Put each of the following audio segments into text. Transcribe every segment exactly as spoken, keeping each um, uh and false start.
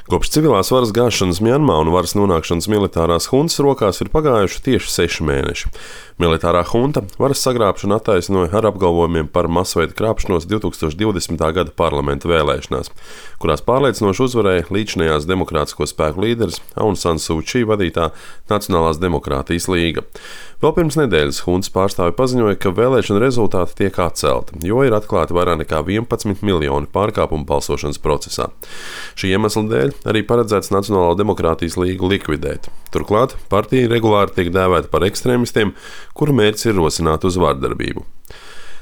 Kopš civilās varas gāšanas Mjanmā un varas nonākšanas militārās huntas rokās ir pagājuši tieši seši mēneši. Militārā hunta varas sagrābšanu attaisnoja ar apgalvojumiem par masveida krāpšanos divtūkstoš divdesmitā gada parlamenta vēlēšanās, kurās pārliecinoši uzvarēja līdzinājās demokrātisko spēku līderis Aung San Suu Kyi vadītā Nacionālās demokrātijas līga. Vēl pirms nedēļas huntas pārstāvi paziņoja, ka vēlēšana rezultāti tiek atcelti, jo ir atklāti vairāk nekā vienpadsmit miljoni pārkāpumu balsošanas procesā. Šī iemesla dēļ arī paredzēts Nacionālo demokrātijas līgu likvidēt. Turklāt partija regulāri tiek dēvēta par ekstrēmistiem, kuru mērķis ir rosināt uz vardarbību.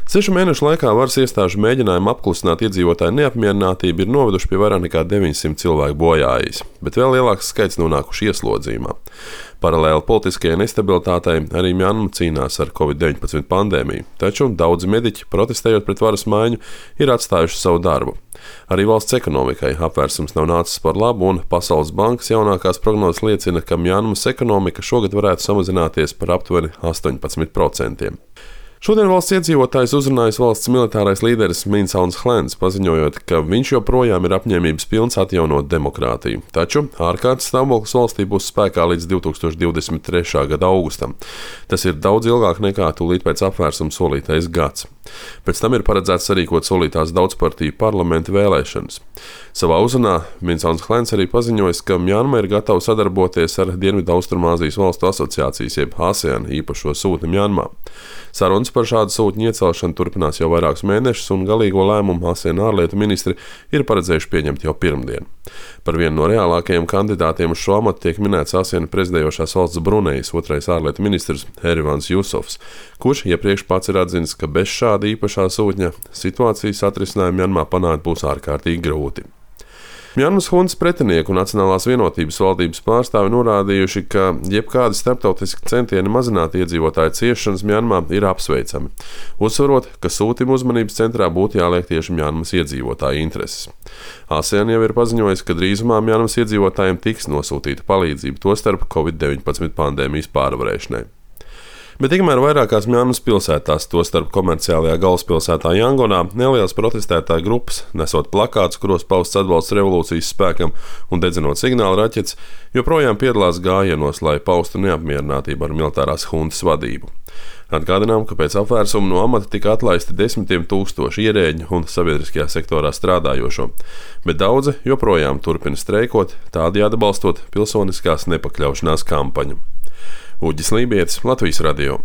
Sešu mēnešu laikā varas iestāžu mēģinājumi apklusināt iedzīvotāju neapmierinātību ir noveduši pie vairāk nekā deviņsimt cilvēku bojājis, bet vēl lielāks skaits nonākuši ieslodzījumā. Paralēli politiskajai nestabilitātei arī Mjanma cīnās ar covid deviņpadsmit pandēmiju, taču daudzi mediķi, protestējot pret varas maiņu, ir atstājuši savu darbu. Arī valsts ekonomikai apvērsums nav nācis par labu, un Pasaules bankas jaunākās prognozes liecina, ka Mjanmas ekonomika šogad varētu samazināties par aptuveni astoņpadsmit procentiem. Šodien valsts iedzīvotājs uzrunājis valsts militārais līderis Min Aung Hlaing, paziņojot, ka viņš joprojām ir apņēmības pilns atjaunot demokrātiju. Taču ārkārtas stāvoklis valstī būs spēkā līdz divtūkstoš divdesmit trešā gada augustam. Tas ir daudz ilgāk nekā tūlīt pēc apvērsuma solītais gads. Pēc tam ir paredzēts sarīkot solītās daudzpartiju parlamenta vēlēšanas. Savā uzrunā Min Aung Hlaing arī paziņojis, ka Mjanma ir gatava sadarboties ar Dienvidaustrumāzijas valstu asociācijas jeb ASEAN īpašo sūtni Mjanmā. Sarunas par šādu sūtņu iecelšanu turpinās jau vairākus mēnešus, un galīgo lēmumu ASEAN ārlietu ministri ir paredzējuši pieņemt jau pirmdien. Par vienu no reālākajiem kandidātiem uz šo amatu tiek minēts ASEAN prezidējošās valsts Brunejas otrais ārlietu ministrs Erivans Jusofs, kurš iepriekš pats ir atzinis, ka bez šāda īpašā sūtņa situācijas atrisinājumu Mjanmā panākt būs ārkārtīgi grūti. Mjanmas huntas pretinieku un Nacionālās vienotības valdības pārstāvi norādījuši, ka jebkādi starptautiski centieni mazināt iedzīvotāju ciešanas Mjanmā ir apsveicami, uzsverot, ka sūtījuma uzmanības centrā būtu jāliek tieši Mjanmas iedzīvotāju intereses. ASEAN jau ir paziņojis, ka drīzumā Mjanmas iedzīvotājiem tiks nosūtīta palīdzība, tostarp covid deviņpadsmit pandēmijas pārvarēšanai. Bet tikmēr vairākās Mjanmas pilsētās, tostarp komerciālajā galvaspilsētā Jangonā, nelielas protestētāju grupas, nesot plakātus, kuros pausts atbalsts revolūcijas spēkam un dedzinot signālu raķetes, joprojām piedalās gājienos, lai paustu neapmierinātību ar militārās huntas vadību. Atgādinām, ka pēc apvērsuma no amata tika atlaisti desmitiem tūkstoši ierēģu un sabiedriskajā sektorā strādājošo, bet daudzi joprojām turpina streikot, tādējādi atbalstot pilsoniskās nepakļaušanās kampaņu. Uģis Lībietis, Latvijas radio.